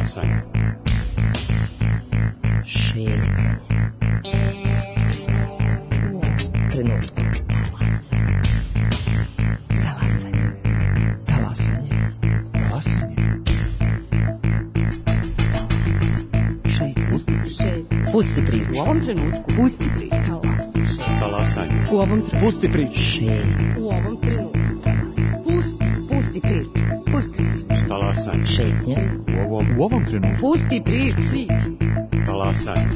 Talasanje. Šetnje. Trenutku. Pusti priču. U ovom trenutku. Pusti priču. Talasanje. U ovom trenutku. Pusti priču. U ovom trenutku. Pusti priču. Pusti priču. Talasanje. Šetnje. U ovom trenutku. Pusti priču. Talasanje.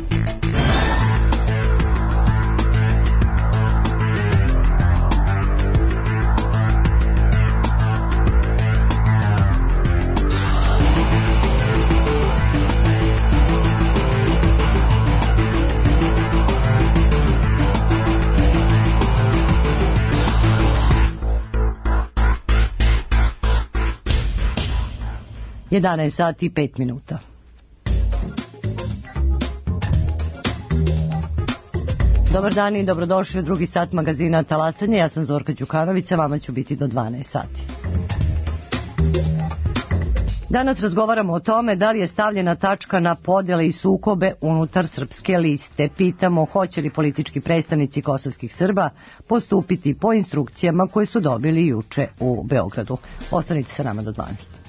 Jedanaest sati i 5 minuta. Dobar dan i dobrodošli u drugi sat magazina Talasanje. Ja sam Zorka Đukanović, a vama ću biti do 12 sati. Danas razgovaramo o tome da li je stavljena tačka na podjele i sukobe unutar Srpske liste. Pitamo hoće li politički predstavnici kosovskih Srba postupiti po instrukcijama koje su dobili juče u Beogradu. Ostanite sa nama do 12.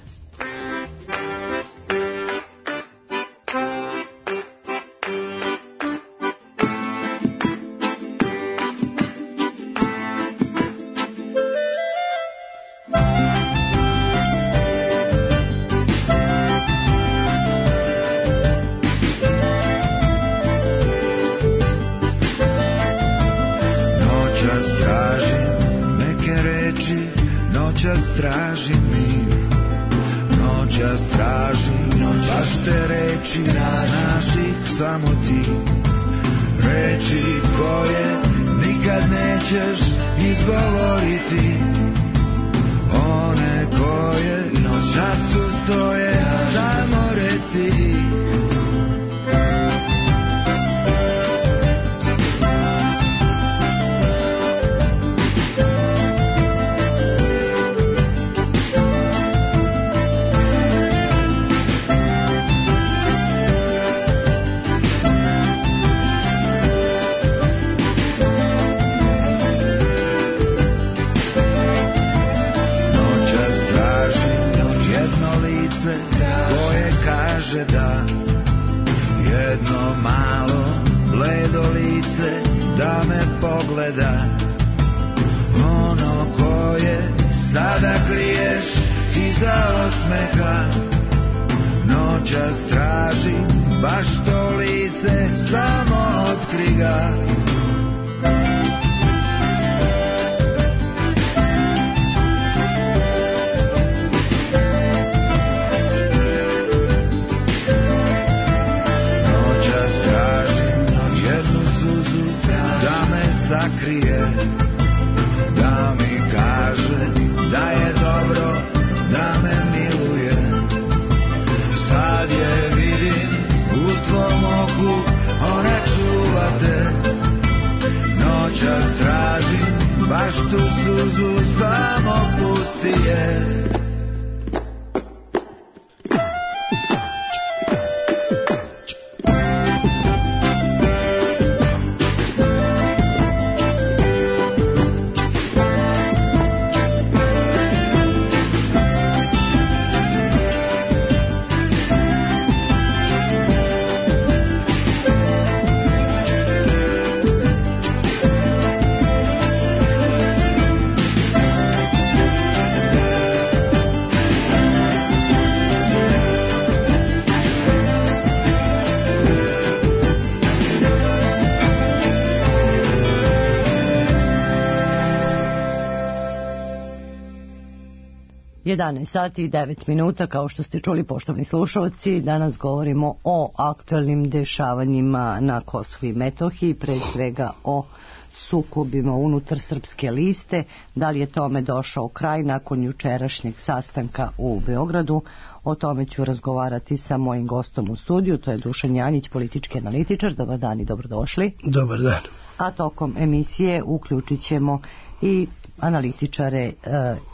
11 sati i 9 minuta, kao što ste čuli, poštovni slušalci, danas govorimo o aktualnim dešavanjima na Kosovu i Metohiji, pre svega o sukobima unutar Srpske liste. Da li je tome došao kraj nakon jučerašnjeg sastanka u Beogradu? O tome ću razgovarati sa mojim gostom u studiju, to je Dušan Janjić, politički analitičar. Dobar dan i dobrodošli. Dobar dan. a tokom emisije uključit ćemo i analitičare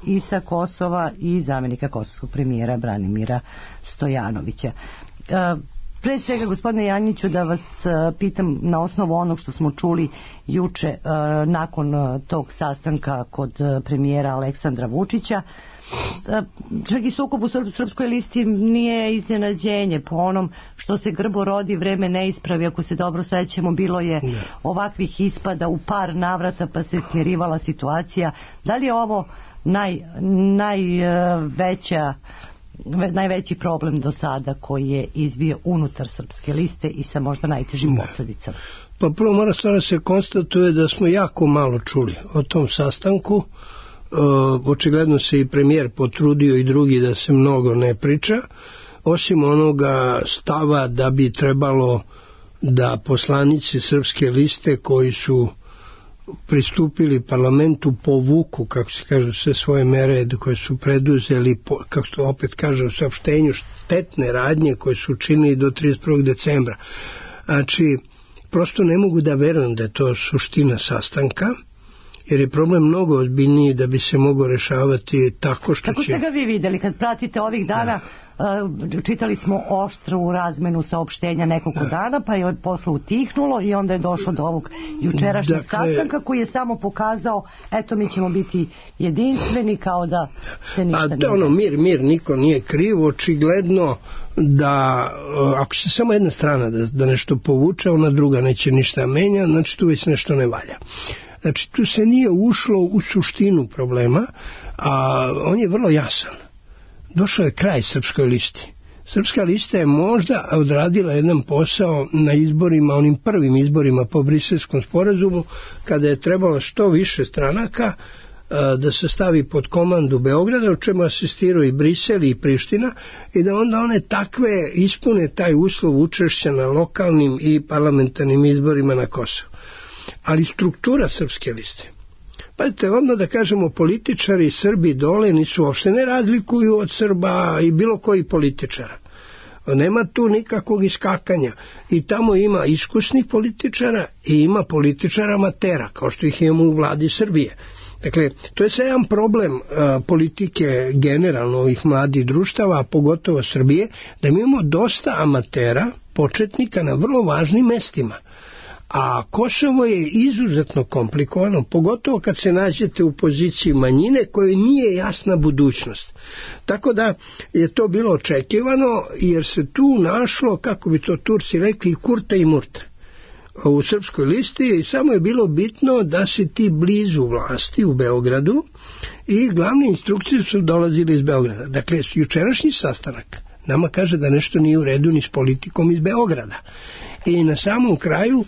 i sa Kosova i zamjenika kosovskog premijera Branimira Stojanovića. Pre svega, gospodine Janjiću, da vas pitam na osnovu onog što smo čuli juče nakon tog sastanka kod premijera Aleksandra Vučića, čak i sukob u Srpskoj listi nije iznenađenje. Po onom što se grbo rodi, vreme ne ispravi. Ako se dobro sećamo, bilo je ovakvih ispada u par navrata, pa se smirivala situacija. Da li je ovo najveći problem do sada koji je izbio unutar Srpske liste i sa možda najtežim posljedicama? Pa prvo mora stvarno se konstatuje da smo jako malo čuli o tom sastanku. Očigledno se i premijer potrudio i drugi da se mnogo ne priča, osim onoga stava da bi trebalo da poslanici Srpske liste koji su pristupili parlamentu povuku, kako se kaže, sve svoje mere koje su preduzeli, kako se opet kaže u saopštenju, štetne radnje koje su učinili do 31. decembra. Znači, prosto ne mogu da verujem da je to suština sastanka, jer je problem mnogo ozbiljniji da bi se mogao rešavati tako što Kako ste ga vi vidjeli kad pratite ovih dana? Čitali smo oštru razmenu saopštenja nekoliko dana, pa je posle utihnulo i onda je došlo do ovog jučerašnjeg sastanka koji je samo pokazao, eto, mi ćemo biti jedinstveni, kao da se ništa nije. Mir, niko nije kriv. Očigledno da ako se samo jedna strana da nešto povuče, ona druga neće ništa menja, znači tu već nešto ne valja. Znači tu se nije ušlo u suštinu problema, a on je vrlo jasan. Došao je kraj Srpskoj listi. Srpska lista je možda odradila jedan posao na izborima, onim prvim izborima po Briselskom sporazumu, kada je trebalo što više stranaka da se stavi pod komandu Beograda, o čemu asistiraju i Brisel i Priština, i da onda one takve ispune taj uslov učešća na lokalnim i parlamentarnim izborima na Kosovu. Ali struktura Srpske liste, pazite, odmah da kažemo, političari Srbi dole nisu uopšte ne razlikuju od Srba i bilo koji političara. Nema tu nikakvog iskakanja. I tamo ima iskusnih političara i ima političara amatera, kao što ih imamo u vladi Srbije. Dakle, to je sve jedan problem politike generalno ovih mladih društava, a pogotovo Srbije, da mi imamo dosta amatera, početnika na vrlo važnim mestima. A Kosovo je izuzetno komplikovano, pogotovo kad se nađete u poziciji manjine koje nije jasna budućnost. Tako da je to bilo očekivano, jer se tu našlo, kako bi to Turci rekli, kurta i murta u Srpskoj listi, i samo je bilo bitno da si ti blizu vlasti u Beogradu, i glavne instrukcije su dolazile iz Beograda. Dakle, jučerašnji sastanak nama kaže da nešto nije u redu ni s politikom iz Beograda. I na samom kraju,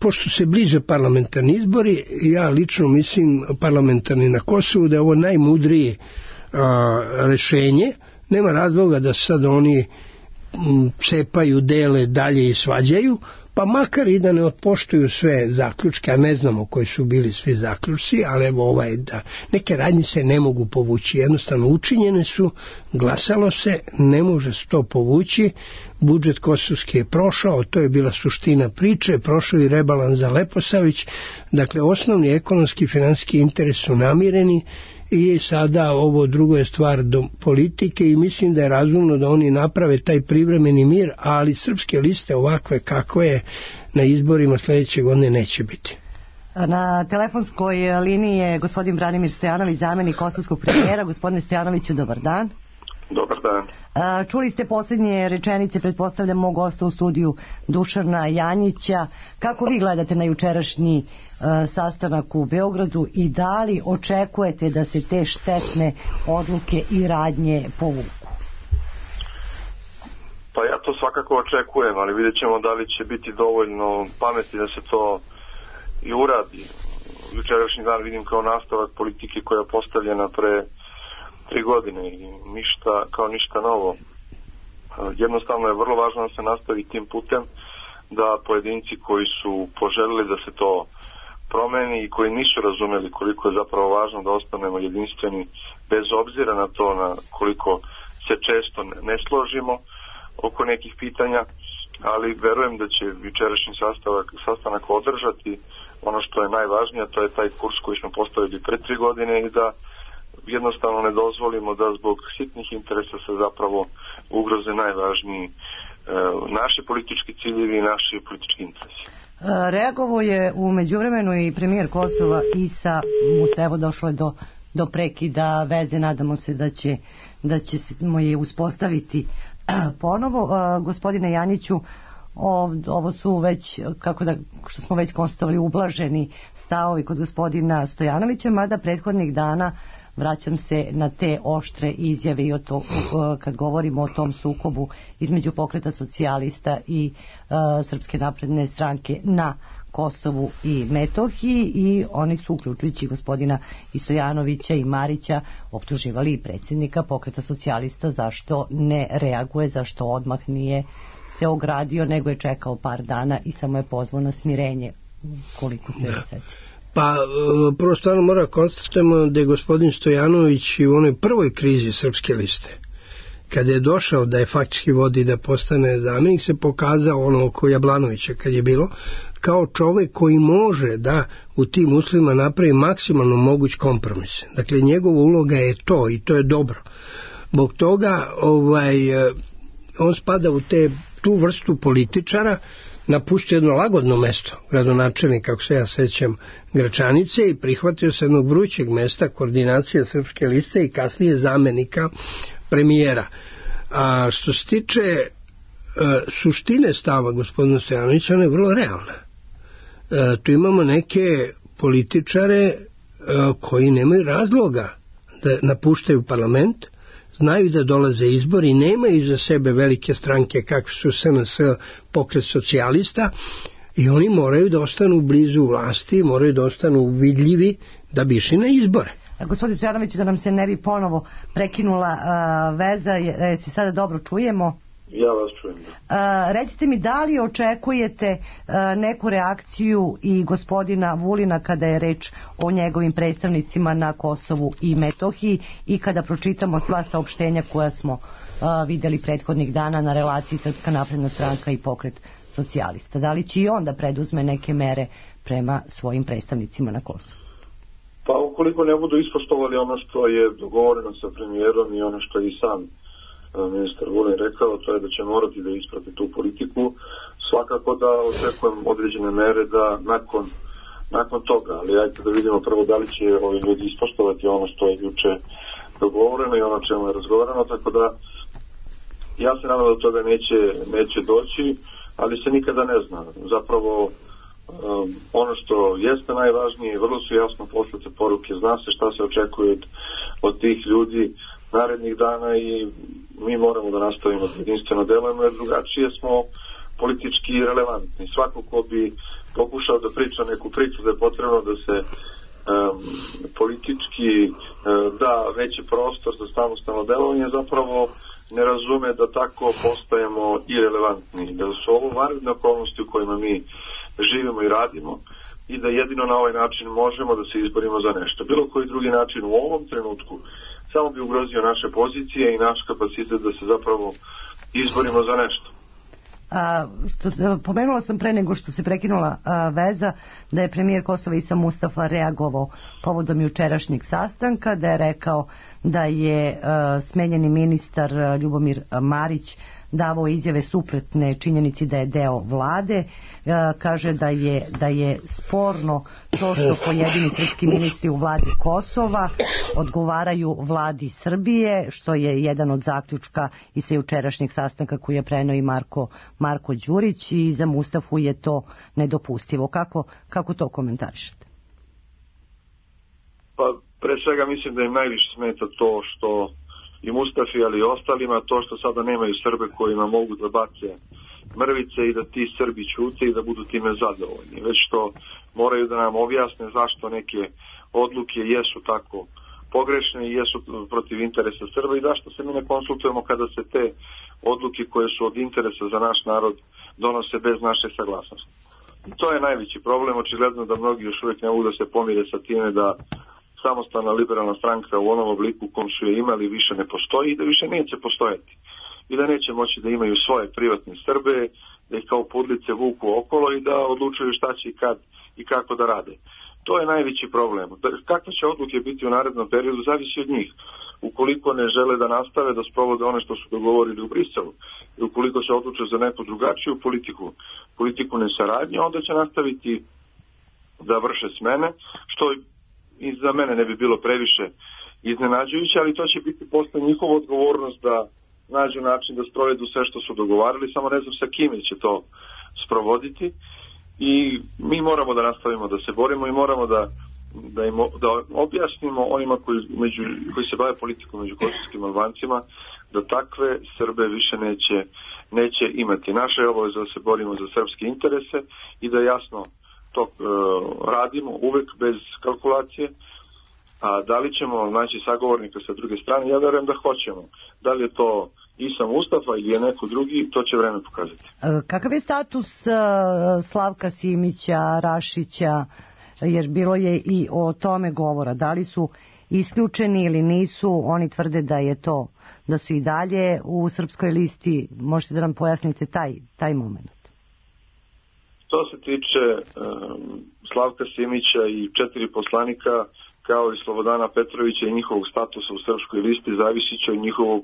pošto se bliže parlamentarni izbori, ja lično mislim parlamentarni na Kosovu, da je ovo najmudrije rešenje. Nema razloga da sad oni cepaju, dele dalje i svađaju, pa makar i da ne otpoštuju sve zaključke, a ne znamo koji su bili svi zaključci, ali evo da neke radnje se ne mogu povući, jednostavno učinjene su, glasalo se, ne može se to povući. Budžet kosovski je prošao, to je bila suština priče, prošao i rebalans za Leposavić, dakle osnovni ekonomski i finansijski interes su namireni, i sada ovo drugo je stvar do politike, i mislim da je razumno da oni naprave taj privremeni mir, ali Srpske liste ovakve kakve je na izborima sljedeće godine neće biti. Na telefonskoj liniji je gospodin Branimir Stojanović, zamjenik kosovskog premijera. Gospodine Stojanoviću, dobar dan. Dobar dan. Čuli ste posljednje rečenice, pretpostavljam, mog gosta u studiju Dušana Janjića. Kako vi gledate na jučerašnji sastanak u Beogradu i da li očekujete da se te štetne odluke i radnje povuku? Pa ja to svakako očekujem, ali vidjet ćemo da li će biti dovoljno pameti da se to i uradi. Jučerašnji dan vidim kao nastavak politike koja je postavljena pre 3 godine i ništa novo. Jednostavno je vrlo važno da se nastavi tim putem, da pojedinci koji su poželili da se to promeni i koji nisu razumeli koliko je zapravo važno da ostanemo jedinstveni bez obzira na to na koliko se često ne složimo oko nekih pitanja, ali verujem da će jučerašnji sastanak održati ono što je najvažnije, to je taj kurs koji smo postavili pre 3 godine i da jednostavno ne dozvolimo da zbog sitnih interesa se zapravo ugroze najvažniji naši politički ciljevi i naši politički interesi. Reagovao je u međuvremenu i premijer Kosova Isa Mustafa, došlo je do prekida veze, nadamo se da ćemo je uspostaviti ponovo. Gospodine Janjiću, ovo su već, što smo već konstatovali, ublaženi stavovi kod gospodina Stojanovića, mada prethodnih dana, vraćam se na te oštre izjave i kad govorimo o tom sukobu između Pokreta socijalista i Srpske napredne stranke na Kosovu i Metohiji, i oni su, uključujući gospodina i Stojanovića i Marića, optuživali i predsjednika Pokreta socijalista zašto ne reaguje, zašto odmah nije se ogradio, nego je čekao par dana i samo je pozvao na smirenje, koliko se seća. Pa prvo stvarno mora konstatujemo da je gospodin Stojanović i u onoj prvoj krizi Srpske liste, kada je došao da je faktički vodi da postane zamjenik, se pokazao ono oko Jablanovića kad je bilo, kao čovjek koji može da u tim uslovima napravi maksimalno moguć kompromis. Dakle, njegova uloga je to i to je dobro. Zbog toga on spada u tu vrstu političara, napustio jedno lagodno mesto, gradonačelnik, kako se ja sećam, Gračanice, i prihvatio se jednog vrućeg mesta, koordinacije Srpske liste i kasnije zamenika premijera. A što se tiče suštine stava gospodina Stojanovića, ona je vrlo realna. Tu imamo neke političare koji nemaju razloga da napuštaju parlament, znaju da dolaze izbori, nemaju za sebe velike stranke kakve su SNS, Pokret socijalista, i oni moraju da ostanu blizu vlasti, moraju da ostanu vidljivi da bi išli na izbore. Gospodin Stojanović, da nam se ne bi ponovo prekinula veza, se sada dobro čujemo? Ja vas čujem. Recite mi, da li očekujete neku reakciju i gospodina Vulina kada je reč o njegovim predstavnicima na Kosovu i Metohiji, i kada pročitamo sva saopštenja koja smo vidjeli prethodnih dana na relaciji Srpska napredna stranka i Pokret socijalista? Da li će i on da preduzme neke mere prema svojim predstavnicima na Kosovu? Pa ukoliko ne budu ispoštovali ono što je dogovoreno sa premijerom i ono što je i sam ministar Vulin rekao, to je da će morati da isprati tu politiku. Svakako da očekujem određene mere da nakon toga, ali ajte da vidimo prvo da li će ovi ljudi ispoštovati ono što je juče dogovoreno i ono čemu je razgovarano, tako da ja se nadam da toga neće doći, ali se nikada ne zna. Zapravo ono što jeste najvažnije, vrlo su jasno poslate poruke, zna se šta se očekuje od tih ljudi narednih dana i mi moramo da nastavimo da jedinstveno delujemo, jer drugačije smo politički relevantni. Svako ko bi pokušao da priča neku priču da je potrebno da se politički da veći prostor za samostalno delovanje, zapravo ne razume da tako postajemo irelevantni, da su ovo vanredne okolnosti u kojima mi živimo i radimo i da jedino na ovaj način možemo da se izborimo za nešto. Bilo koji drugi način u ovom trenutku samo bi ugrozio naše pozicije i naš kapacitet da se zapravo izborimo za nešto. Pomenula sam pre nego što se prekinula veza da je premijer Kosova Isa Mustafa reagovao povodom jučerašnjeg sastanka, da je rekao da je smenjeni ministar Ljubomir Marić davao izjave suprotne činjenici da je deo vlade. Kaže da je sporno to što pojedini srpski ministri u vladi Kosova odgovaraju vladi Srbije, što je jedan od zaključka i sa jučerašnjeg sastanka koji je preneo i Marko Đurić, i za Mustafu je to nedopustivo. Kako to komentarišete? Pa pre svega mislim da im najviše smeta to što i Mustafi, ali i ostalima, to što sada nemaju Srbe kojima mogu da bace mrvice i da ti Srbi ćute i da budu time zadovoljni. Već što moraju da nam objasne zašto neke odluke jesu tako pogrešne i jesu protiv interesa Srba i zašto se mi ne konsultujemo kada se te odluke koje su od interesa za naš narod donose bez naše saglasnosti. I to je najveći problem. Očigledno da mnogi još uvijek ne mogu da se pomire sa time da samostalna liberalna stranka u onom obliku u kom su je imali više ne postoji i da više neće postojati. I da neće moći da imaju svoje privatne Srbe ih kao pudlice vuku okolo i da odlučuju šta će i kad i kako da rade. To je najveći problem. Kakve će odluke biti u narednom periodu zavisi od njih. Ukoliko ne žele da nastave da sprovode one što su dogovorili u Briselu i ukoliko se odluče za neku drugačiju politiku nesaradnje, onda će nastaviti da vrše smene, što i za mene ne bi bilo previše iznenađujuće, ali to će biti posle njihova odgovornost da nađu način da sprovedu sve što su dogovarali, samo ne znam sa kime će to sprovoditi i mi moramo da nastavimo da se borimo i moramo da objasnimo onima koji se bave politikom među kosovskim Albancima da takve Srbe više neće imati. Naša je obaveza da se borimo za srpske interese i da jasno to radimo uvek bez kalkulacije. A da li ćemo naći sagovornika sa druge strane? Ja verujem da hoćemo. Da li je to Isa Mustafa ili je neko drugi, to će vreme pokazati. Kakav je status Slavka Simića, Rašića, jer bilo je i o tome govora, da li su isključeni ili nisu? Oni tvrde da su i dalje u srpskoj listi. Možete da nam pojasnite taj moment? To se tiče Slavka Simića i 4 poslanika, kao i Slobodana Petrovića i njihovog statusa u srpskoj listi, zavisit će od njihovog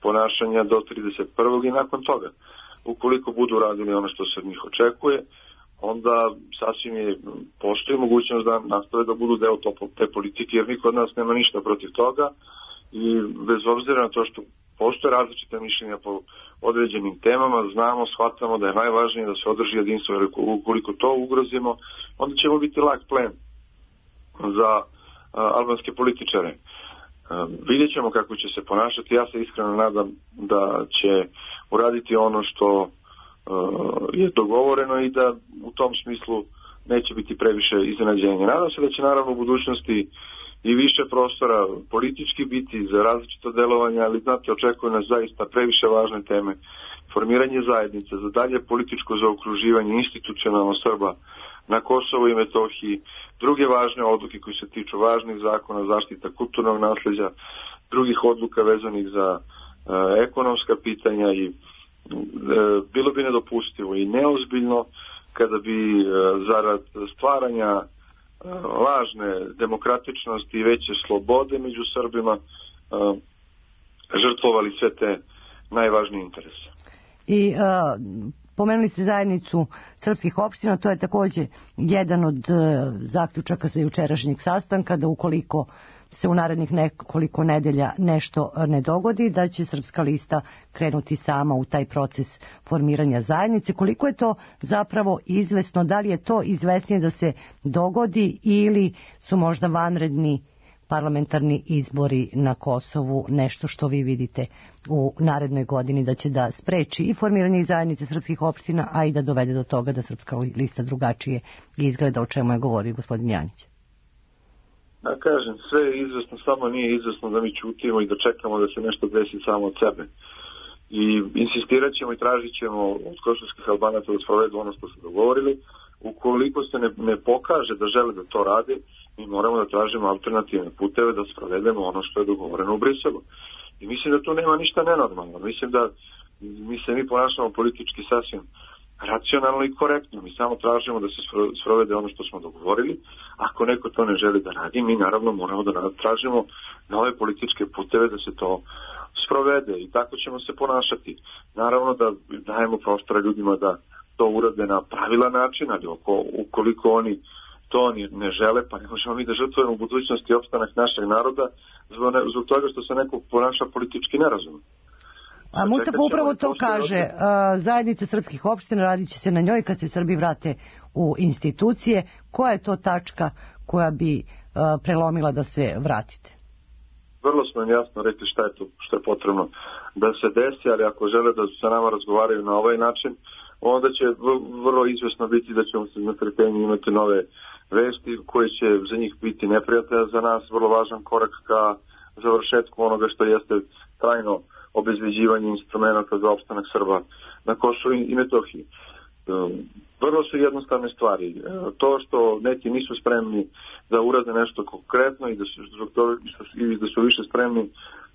ponašanja do 31. i nakon toga. Ukoliko budu radili ono što se od njih očekuje, onda sasvim postoji mogućnost da nastave da budu deo te politike, jer niko od nas nema ništa protiv toga i bez obzira na to što postoje različite mišljenja po određenim temama, znamo, shvatamo da je najvažnije da se održi jedinstvo, jer ukoliko to ugrozimo, onda ćemo biti lak plen za albanske političare. Vidjet ćemo kako će se ponašati. Ja se iskreno nadam da će uraditi ono što je dogovoreno i da u tom smislu neće biti previše iznenađenja. Nadam se da će naravno u budućnosti i više prostora politički biti za različito delovanje, ali znate, očekuje nas zaista previše važne teme. Formiranje zajednice, za dalje političko zaokruživanje institucionalno Srba na Kosovu i Metohiji, druge važne odluke koji se tiču važnih zakona, zaštita kulturnog nasljeđa, drugih odluka vezanih za ekonomska pitanja i bilo bi nedopustivo i neozbiljno kada bi zarad stvaranja lažne demokratičnosti i veće slobode među Srbima žrtvovali sve te najvažnije interese. I pomenuli ste zajednicu srpskih opština, to je također jedan od zaključaka sa jučerašnjeg sastanka, da ukoliko se u narednih nekoliko nedelja nešto ne dogodi, da će Srpska lista krenuti sama u taj proces formiranja zajednice. Koliko je to zapravo izvesno, da li je to izvesnije da se dogodi ili su možda vanredni parlamentarni izbori na Kosovu nešto što vi vidite u narednoj godini da će da spreči i formiranje zajednice srpskih opština, a i da dovede do toga da Srpska lista drugačije izgleda, o čemu je govorio gospodin Janjić? Ja kažem, sve je izvesno, samo nije izvesno da mi ćutimo i da čekamo da se nešto desi samo od sebe. I insistirat ćemo i tražit ćemo od kosovskih Albanaca da sprovedu ono što su dogovorili. Ukoliko se ne pokaže da žele da to rade, mi moramo da tražimo alternativne puteve da sprovedemo ono što je dogovoreno u Briselu. I mislim da tu nema ništa nenormalno. Mislim da mi ponašamo politički sasvim racionalno i korektno. Mi samo tražimo da se sprovede ono što smo dogovorili. Ako neko to ne želi da radi, mi naravno moramo da tražimo nove političke puteve da se to sprovede i tako ćemo se ponašati. Naravno da dajemo prostora ljudima da to urade na pravilan način, ali ukoliko oni to ne žele, pa ne možemo mi da žrtvujemo u budućnosti opstanak našeg naroda zbog toga što se neko ponaša politički nerazumno. A Mustafa upravo to kaže, zajednica srpskih opština, radit će se na njoj kad se Srbi vrate u institucije. Koja je to tačka koja bi prelomila da se vratite? Vrlo smo im jasno rekli šta je to što je potrebno da se desi, ali ako žele da sa nama razgovaraju na ovaj način, onda će vrlo izvesno biti da ćemo se na trpenju imati nove vesti koje će za njih biti neprijatelja, za nas vrlo važan korak ka završetku onoga što jeste trajno obezbeđivanje instrumenta za opstanak Srba na Kosovu i Metohiji. Vrlo su jednostavne stvari. To što neki nisu spremni da urade nešto konkretno i da su više spremni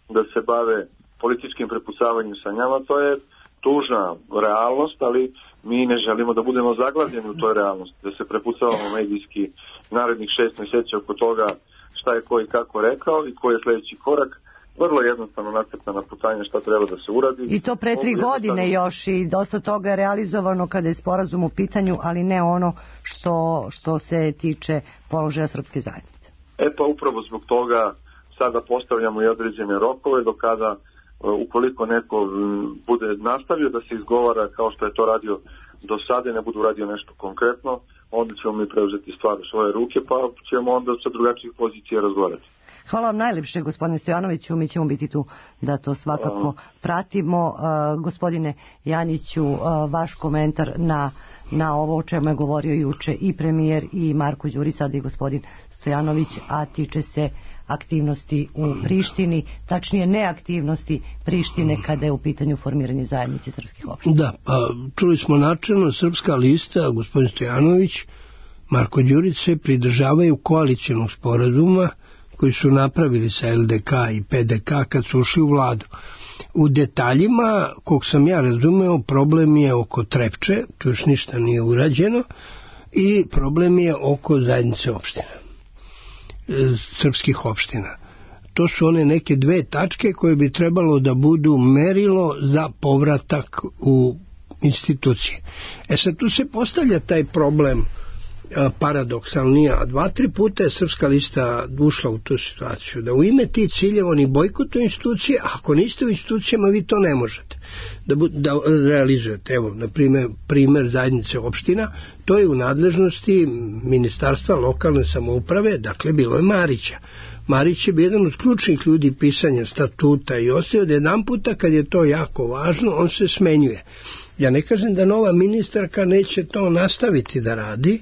da se bave političkim prepucavanjem sa njama, tužna realnost, ali mi ne želimo da budemo zaglavljeni u toj realnosti, da se prepucavamo medijski narednih 6 mjeseci oko toga šta je ko i kako rekao i koji je sljedeći korak. Vrlo jednostavno nacrtana putanja šta treba da se uradi. I to pre 3 godine još i dosta toga je realizovano kada je sporazum u pitanju, ali ne ono što se tiče položaja srpske zajednice. Pa upravo zbog toga sada postavljamo i određene rokove do kada ukoliko neko bude nastavio da se izgovara kao što je to radio do sada i ne budu radio nešto konkretno, onda ćemo mi preuzeti stvar u svoje ruke pa ćemo onda sa drugačijih pozicija razgovarati. Hvala vam najljepše, gospodine Stojanoviću, mi ćemo biti tu da to svakako pratimo. Gospodine Janjiću, vaš komentar na ovo o čemu je govorio juče i premijer i Marko Đurić, sada i gospodin Stojanović, a tiče se aktivnosti u Prištini, tačnije neaktivnosti Prištine kada je u pitanju formiranje zajednice srpskih opština. Da, čuli smo načelno, Srpska lista, gospodin Stojanović, Marko Đurić se pridržavaju koalicijonog sporazuma koji su napravili sa LDK i PDK kad su ušli u vladu. U detaljima, kog sam ja razumeo, problem je oko Trepče, tu još ništa nije urađeno, i problem je oko zajednice opština, srpskih opština. To su one neke 2 tačke koje bi trebalo da budu merilo za povratak u institucije. Sad tu se postavlja taj problem paradoksalnije, a 2-3 puta je Srpska lista ušla u tu situaciju, da u ime tih ciljeva oni bojkotuju institucije, a ako niste u institucijama vi to ne možete da realizujete. Evo, na primer zajednice opština, to je u nadležnosti Ministarstva lokalne samouprave, dakle bilo je Marića. Marić je bio jedan od ključnih ljudi pisanja statuta i ostaje da jedan puta kad je to jako važno, on se smenjuje. Ja ne kažem da nova ministarka neće to nastaviti da radi,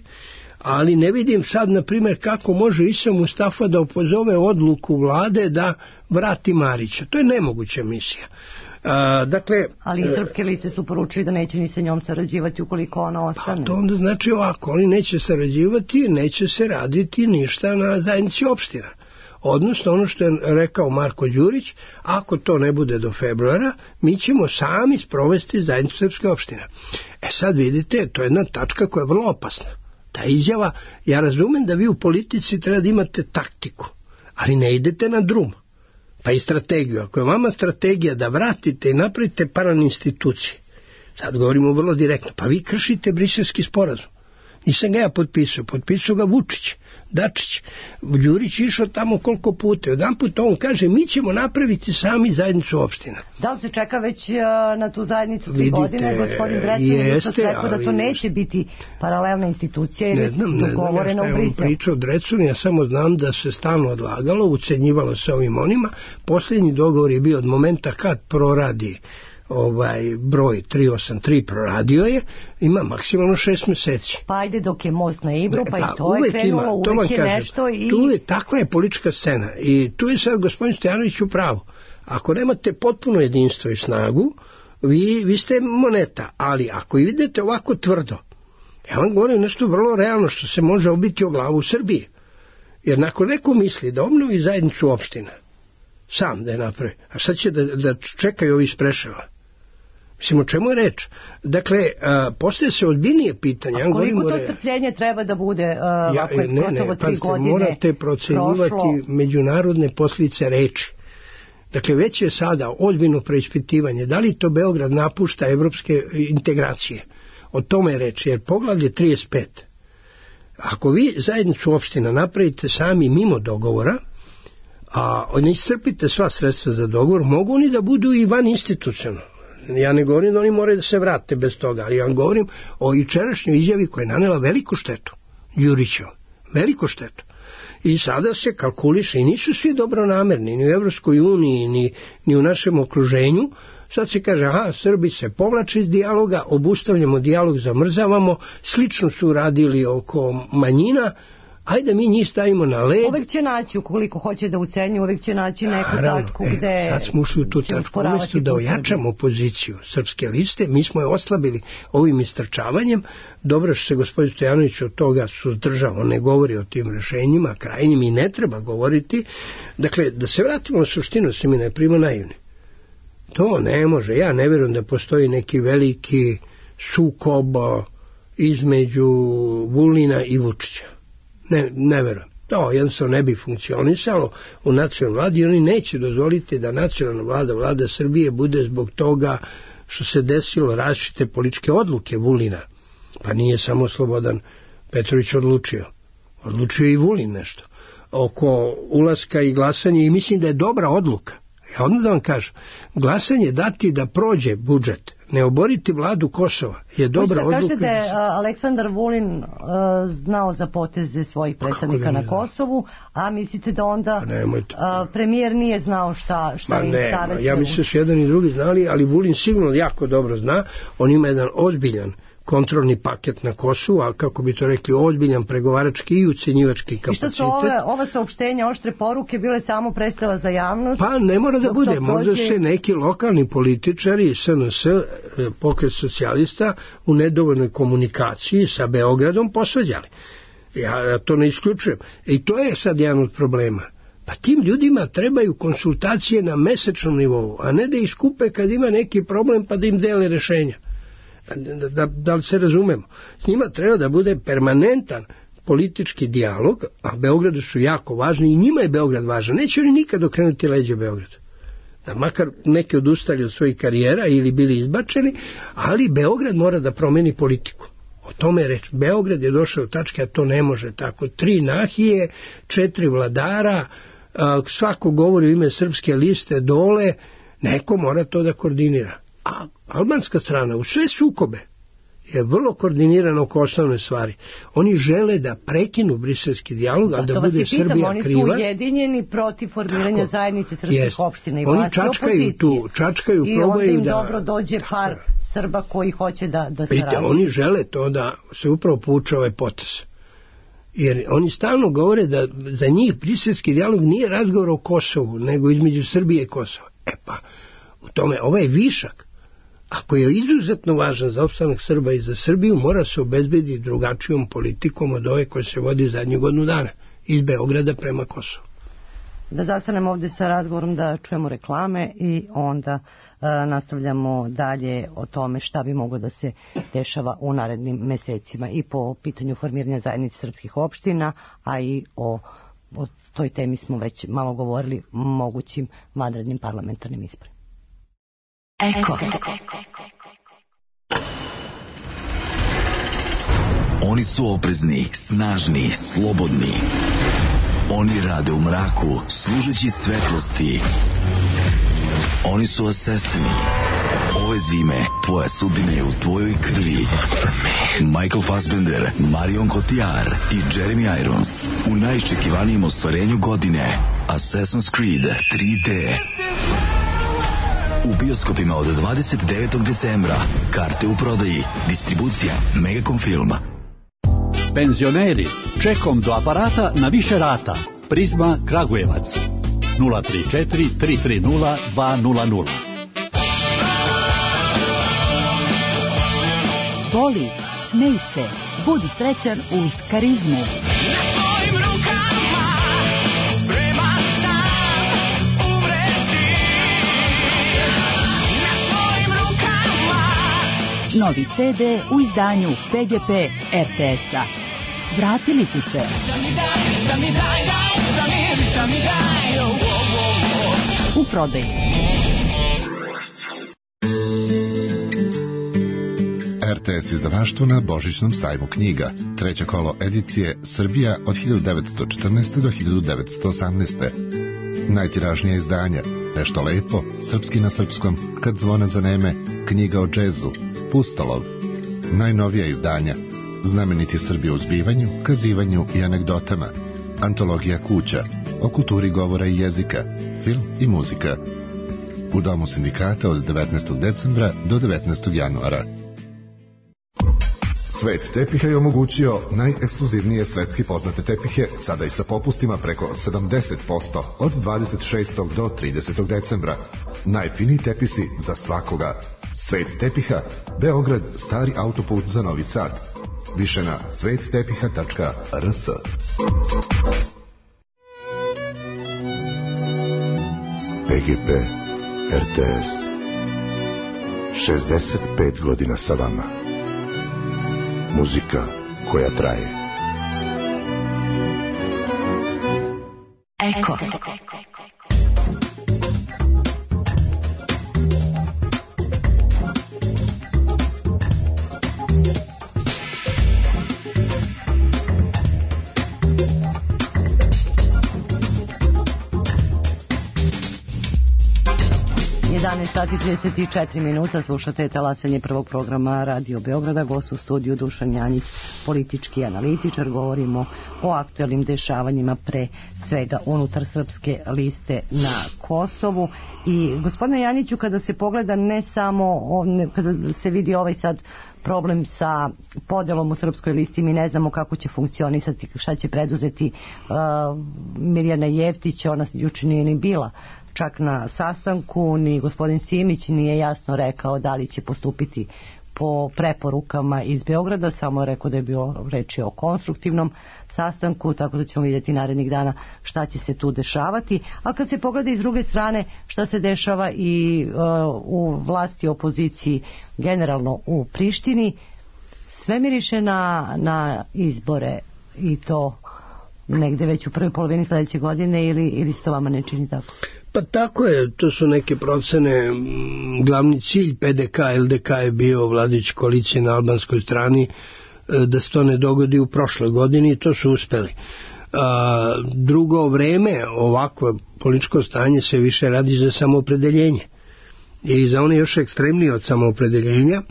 ali ne vidim sad, na primjer, kako može Isa Mustafa da opozove odluku vlade da vrati Marića. To je nemoguća misija. Ali srpske liste su poručili da neće ni sa njom sarađivati ukoliko ona ostane. To onda znači ovako, oni neće sarađivati, neće se raditi ništa na zajednici opština. Odnosno, ono što je rekao Marko Đurić, ako to ne bude do februara, mi ćemo sami sprovesti zajednicu srpske opštine. Sad vidite, to je jedna tačka koja je vrlo opasna. Ta izjava, ja razumem da vi u politici treba da imate taktiku, ali ne idete na drum, pa i strategiju. Ako je vama strategija da vratite i napravite paraninstitucije, sad govorimo vrlo direktno, pa vi kršite Briselski sporazum. Nisam ga ja potpisao ga Vučić, Dačić. Đurić išao tamo koliko puta. Jedan put on kaže, mi ćemo napraviti sami zajednicu opština. Da li se čeka već na tu zajednicu 3 godine? Gospodin Drecun je rekao da to neće biti paralelna institucija jer je dogovoreno u Briselu. On pričao Drecun, ja samo znam da se stalno odlagalo, ucenjivalo se ovim onima. Posljednji dogovor je bio od momenta kad proradi broj 383 proradio je, ima maksimalno 6 mjeseci. Pa ajde dok je most na Ibru, pa i to je krenulo, uvek je nešto i... Takva je politička scena i tu je sad gospodin Stojanović u pravu. Ako nemate potpuno jedinstvo i snagu, vi ste moneta, ali ako idete ovako tvrdo, ja vam govorim nešto vrlo realno što se može obiti o glavu u Srbiji. Jer nakon neko misli da obnovi zajednicu opština, sam da je napravi, a sad će da čekaju ovi iz Preševa. Mislim, o čemu je reč? Dakle, postoje se ozbiljnije pitanja. A koliko to strpljenje treba da bude ako je gotovo 3 godine morate procenjivati međunarodne posljedice reči. Dakle, već je sada ozbiljno preispitivanje. Da li to Beograd napušta evropske integracije? O tome je reč, jer poglavlje 35. Ako vi zajednicu opština napravite sami mimo dogovora, a ne iscrpite sva sredstva za dogovor, mogu oni da budu i van institucionalno. Ja ne govorim da oni moraju da se vrate bez toga, ali ja vam govorim o jučerašnjoj izjavi koja je nanela veliku štetu, Đurićeva, veliku štetu. I sada se kalkuliše, i nisu svi dobronamerni, ni u Evropskoj uniji, ni u našem okruženju. Sad se kaže, Srbi se povlače iz dijaloga, obustavljamo dijalog, zamrzavamo, slično su radili oko manjina, ajde mi njih stavimo na led. Uvijek će naći, ukoliko hoće da ucenju, uvijek će naći neku tačku gde... Sad smo ušli u tu tačku, umjesto da ojačamo poziciju Srpske liste, mi smo je oslabili ovim istrčavanjem. Dobro što se gospodin Stojanović od toga suzdržao, ne govori o tim rešenjima, krajnjim i ne treba govoriti. Dakle, da se vratimo na suštinu, se mi ne prima naivni. To ne može. Ja ne vjerujem da postoji neki veliki sukob između Vulina i Vučića. Ne vjerujem. To jednostavno ne bi funkcionisalo u nacionalnoj vladi i oni neće dozvoliti da nacionalna vlada, vlada Srbije, bude zbog toga što se desilo različite političke odluke Vulina. Pa nije samo Slobodan Petrović odlučio. Odlučio i Vulin nešto. Oko ulaska i glasanje i mislim da je dobra odluka. Ja onda da vam kažem, glasanje dati da prođe budžet, ne oboriti vladu Kosova je dobra odluka. Kažete da je Aleksandar Vulin znao za poteze svojih predstavnika na Kosovu, a mislite da onda premijer nije znao šta im savjetuje? Ja mislim da su jedan i drugi znali, ali Vulin sigurno jako dobro zna. On ima jedan ozbiljan kontrolni paket na Kosovu, a kako bi to rekli, ozbiljan pregovarački i ucenjivački kapacitet. I što su ova saopštenja, oštre poruke bile samo predstava za javnost? Pa ne mora da bude, možda se neki lokalni političari, SNS, pokret socijalista, u nedovoljnoj komunikaciji sa Beogradom posvađali. Ja to ne isključujem. I to je sad jedan od problema. Pa tim ljudima trebaju konsultacije na mesečnom nivou, a ne da iskupe kad ima neki problem pa da im dele rešenja. Da li se razumemo? S njima treba da bude permanentan politički dijalog, a Beogradu su jako važni i njima je Beograd važan. Neće oni nikad okrenuti leđe Beogradu. Da makar neki odustali od svojih karijera ili bili izbačeni, ali Beograd mora da promeni politiku. O tome je reč. Beograd je došao u tačke, a to ne može tako. 3 nahije, 4 vladara, svako govori u ime Srpske liste dole, neko mora to da koordinira. A albanska strana u sve sukobe je vrlo koordinirana oko osnovne stvari. Oni žele da prekinu briselski dijalog, ali da bude Srbija kriva. Oni su ujedinjeni protiv formiranja zajednice srpskih opština i vlasti opozicije. Čačkaju, i probaju da... I onda im dobro dođe par Srba koji hoće da Vidite, oni žele to da se upravo pouče ovaj potez. Jer oni stalno govore da za njih briselski dijalog nije razgovor o Kosovu, nego između Srbije i Kosova. Pa, u tome, ovaj višak, ako je izuzetno važan za opstanak Srba i za Srbiju, mora se obezbediti drugačijom politikom od ove koje se vodi zadnjih godinu dana, iz Beograda prema Kosovu. Da zastanemo ovdje sa razgovorom, da čujemo reklame i onda nastavljamo dalje o tome šta bi moglo da se dešava u narednim mesecima i po pitanju formiranja zajednice srpskih opština, a i o toj temi smo već malo govorili, mogućim vanrednim parlamentarnim izborima. Eko. Oni su oprezni, snažni, slobodni. Oni rade u mraku, služeći svetlosti. Oni su asesini. Ove zime tvoja sudbina je u tvojoj krvi. Michael Fassbender, Marion Cotillard i Jeremy Irons u najiščekivanijem ostvarenju godine, Assassin's Creed 3D. U bioskopima od 29. decembra. Karte u prodaji. Distribucija Megacom Film. Penzioneri, čekom do aparata na više rata. Prizma Kragujevac 034 330 200. Voli, smej se, budi srećan uz Karizmu. Novi CD u izdanju PGP RTS-a. Vratili su se. U prodaji. RTS izdavaštvo na Božićnom sajmu knjiga. 3. kolo edicije Srbija od 1914. do 1918. Najtiražnija izdanja. Nešto lepo, srpski na srpskom, kad zvona zaneme, knjiga o džezu, Pustolov. Najnovija izdanja. Znameniti Srbi u zbivanju, kazivanju i anegdotama. Antologija kuća. O kulturi govora i jezika. Film i muzika. U Domu sindikata od 19. decembra do 19. januara. Svet tepiha je omogućio najekskluzivnije svetski poznate tepihe, sada i sa popustima preko 70% od 26. do 30. decembra. Najfiniji tepisi za svakoga. Svet tepiha, Beograd, stari autoput za Novi Sad. Više na svettepiha.rs. PGP RTS. 65 godina sa vama. Muzika koja traje. Eko. 11 sati 34 minuta, slušate talasanje prvog programa Radio Beograda, gost u studiju Dušan Janjić, politički analitičar. Govorimo o aktuelnim dešavanjima, pre svega unutar Srpske liste na Kosovu. I gospodine Janjiću, kada se pogleda ne samo, kada se vidi ovaj sad problem sa podelom u Srpskoj listi, mi ne znamo kako će funkcionisati, šta će preduzeti Mirjana Jeftić, ona juče nije ni bila čak na sastanku, ni gospodin Simić nije jasno rekao da li će postupiti po preporukama iz Beograda, samo je rekao da je bilo reči o konstruktivnom sastanku, tako da ćemo vidjeti narednih dana šta će se tu dešavati. A kad se pogleda iz druge strane šta se dešava i u vlasti, opoziciji, generalno u Prištini, sve miriše na izbore, i to negde već u prvoj polovini sljedeće godine, ili se to vama ne čini tako? Pa tako je, to su neke procene. Glavni cilj PDK, LDK je bio vladajuća koalicija na albanskoj strani, da se to ne dogodi u prošloj godini, i to su uspeli. Drugo vreme, ovako političko stanje se više radi za samoopredeljenje i za one još ekstremnije od samoopredeljenja,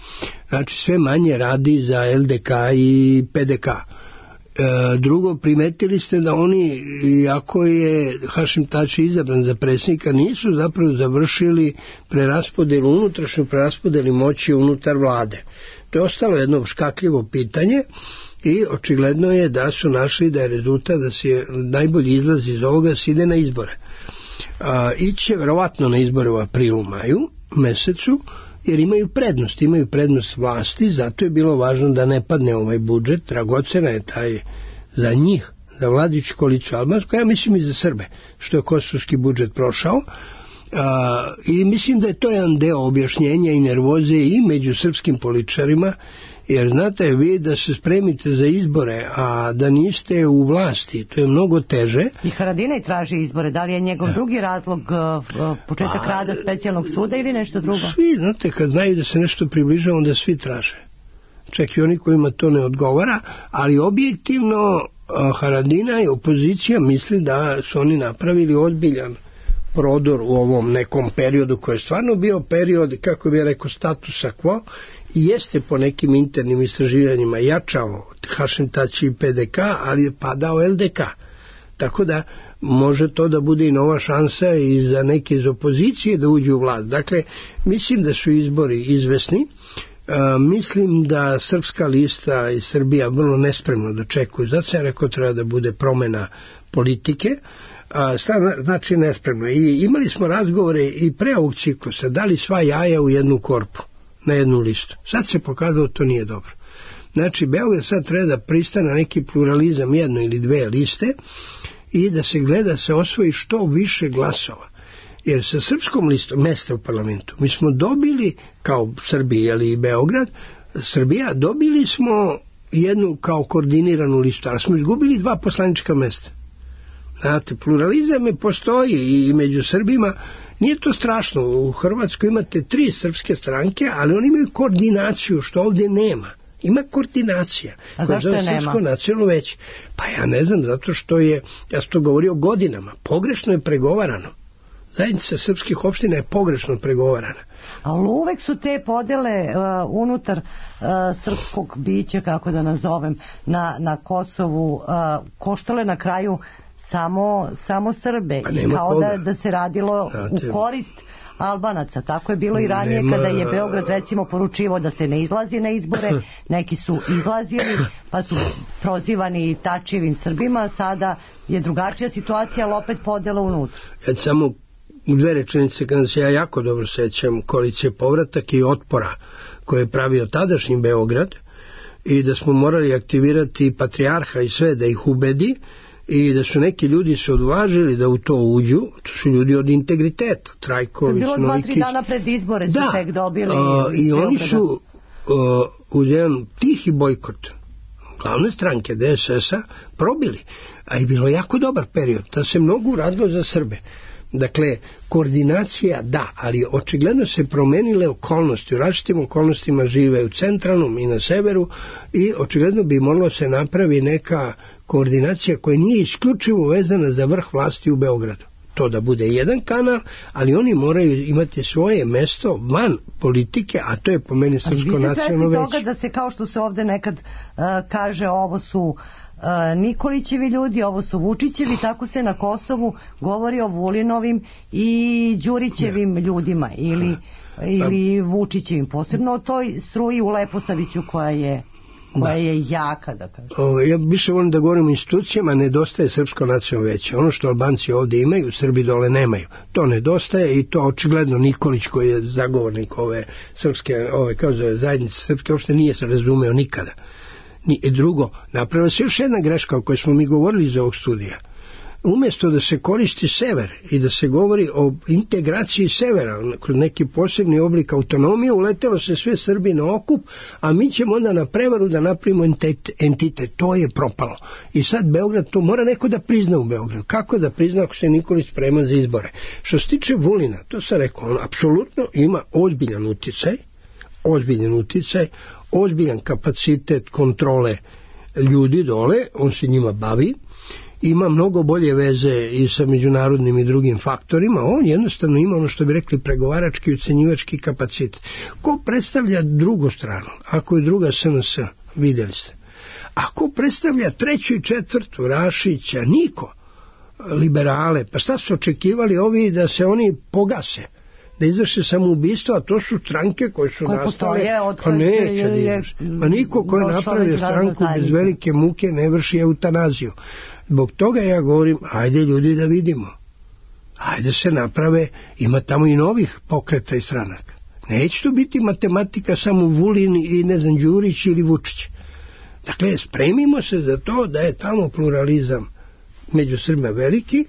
znači sve manje radi za LDK i PDK. Drugo, primetili ste da oni, iako je Hašim Tači izabran za predsjednika, nisu zapravo završili unutrašnju preraspodelu moći unutar vlade. To je ostalo jedno škakljivo pitanje i očigledno je da su našli da je rezultat da se najbolji izlaz iz ovoga se ide na izbore. Iće verovatno na izbore u aprilu, maju mesecu, jer imaju prednost vlasti, zato je bilo važno da ne padne ovaj budžet, dragocena je taj za njih, za vladajuću koaliciju albansku, ja mislim i za Srbe, što je kosovski budžet prošao, i mislim da je to jedan deo objašnjenja i nervoze i među srpskim političarima, jer znate vi da se spremite za izbore, a da niste u vlasti, to je mnogo teže. I Haradinaj traži izbore, da li je njegov drugi razlog početak rada specijalnog suda ili nešto drugo? Svi, znate, kad znaju da se nešto približava, onda svi traže. Čak i oni kojima to ne odgovara, ali objektivno Haradinaj, opozicija, misli da su oni napravili ozbiljan prodor u ovom nekom periodu koji je stvarno bio period, kako bih rekao, statusa quo, i jeste po nekim internim istraživanjima jačao Hašim Tači i PDK, ali je padao LDK. Tako da može to da bude i nova šansa i za neke iz opozicije da uđu u vlast. Dakle, mislim da su izbori izvesni. Mislim da Srpska lista i Srbija vrlo nespremno dočekuju. Zato sam rekao treba da bude promena politike. Znači nespremno. I imali smo razgovore i pre ovog ciklusa, dali sva jaja u jednu korpu, na jednu listu. Sad se pokazalo to nije dobro. Znači Beograd sad treba da pristane na neki pluralizam, jedno ili dve liste, i da se gleda se osvoji što više glasova. Jer sa srpskom listom mesta u parlamentu mi smo dobili, kao Srbija ili Beograd, Srbija, dobili smo jednu kao koordiniranu listu, ali smo izgubili 2 poslanička mesta. Znate, pluralizam je postoji i među Srbima. Nije to strašno, u Hrvatskoj imate 3 srpske stranke, ali oni imaju koordinaciju, što ovdje nema. Ima koordinacija. A zašto je nema? Srpsko nacionalno veće. Pa ja ne znam, zato što je, ja sam to govorio godinama, pogrešno je pregovarano. Zajednica srpskih opština je pogrešno pregovarana. Ali uvek su te podele unutar srpskog bića, kako da nazovem, na Kosovu koštale na kraju samo Srbe, i kao da se radilo u korist Albanaca. Tako je bilo i ranije kada je Beograd recimo poručivao da se ne izlazi na izbore, neki su izlazili pa su prozivani Tačijevim Srbima, sada je drugačija situacija, ali opet podela unutra. Samo u 2 rečenice, kada se ja jako dobro sećam koalicije Povratak i Otpora koje je pravio tadašnji Beograd, i da smo morali aktivirati patrijarha i sve da ih ubedi i da su neki ljudi se odvažili da u to uđu, to su ljudi od integriteta, Trajković, Bilo Nojkić. 2-3 dana pred izbore su tek dobili. I oni su u jedan tihi bojkot glavne stranke DSS-a probili, a i bilo jako dobar period, da se mnogo uradilo za Srbe. Dakle, koordinacija da, ali očigledno se promenile okolnosti, u različitim okolnostima žive u centralnom i na severu i očigledno bi moralo se napravi neka koordinacija koja nije isključivo vezana za vrh vlasti u Beogradu. To da bude jedan kanal, ali oni moraju imati svoje mesto van politike, a to je po meni Srpsko nacionalno veće. Vi ste svesni toga da se, kao što se ovde nekad kaže, ovo su Nikolićevi ljudi, ovo su Vučićevi, tako se na Kosovu govori o Vulinovim i Đurićevim ljudima ili Vučićevim, posebno o toj struji u Leposaviću koja je jaka, da kažem. Ja više volim da govorim o institucijama, nedostaje Srpsko nacionalno veće. Ono što Albanci ovde imaju, Srbi dole nemaju. To nedostaje i to očigledno Nikolić, koji je zagovornik ove srpske, zajednice srpske, uopšte nije se razumeo nikada. Drugo, napravila se još jedna greška o kojoj smo mi govorili iz ovog studija. Umjesto da se koristi sever i da se govori o integraciji severa kroz neki posebni oblik autonomije, uletelo se sve Srbi na okup, a mi ćemo onda na prevaru da napravimo entitet. To je propalo. I sad Beograd, to mora neko da prizna u Beogradu. Kako da prizna ako se Nikolić sprema za izbore? Što se tiče Vulina, to sam rekao, on apsolutno ima ozbiljan uticaj, ozbiljan kapacitet kontrole ljudi dole, on se njima bavi, ima mnogo bolje veze i sa međunarodnim i drugim faktorima, on jednostavno ima ono što bi rekli pregovarački i ucenjivački kapacitet. Ko predstavlja drugu stranu? Ako je druga SNS, vidjeli ste. Ako predstavlja treću i četvrtu, Rašića, niko, liberale, pa šta su očekivali ovi da se oni pogase? Da izvrše samoubistvo, a to su stranke koje su nastale, pa neće, pa niko ko je napravio stranku bez velike muke ne vrši eutanaziju. Zbog toga ja govorim, ajde ljudi da vidimo, ajde se naprave, ima tamo i novih pokreta i stranaka. Neće to biti matematika samo Vulin i ne znam Đurić ili Vučić. Dakle, spremimo se za to da je tamo pluralizam među Srbima veliki.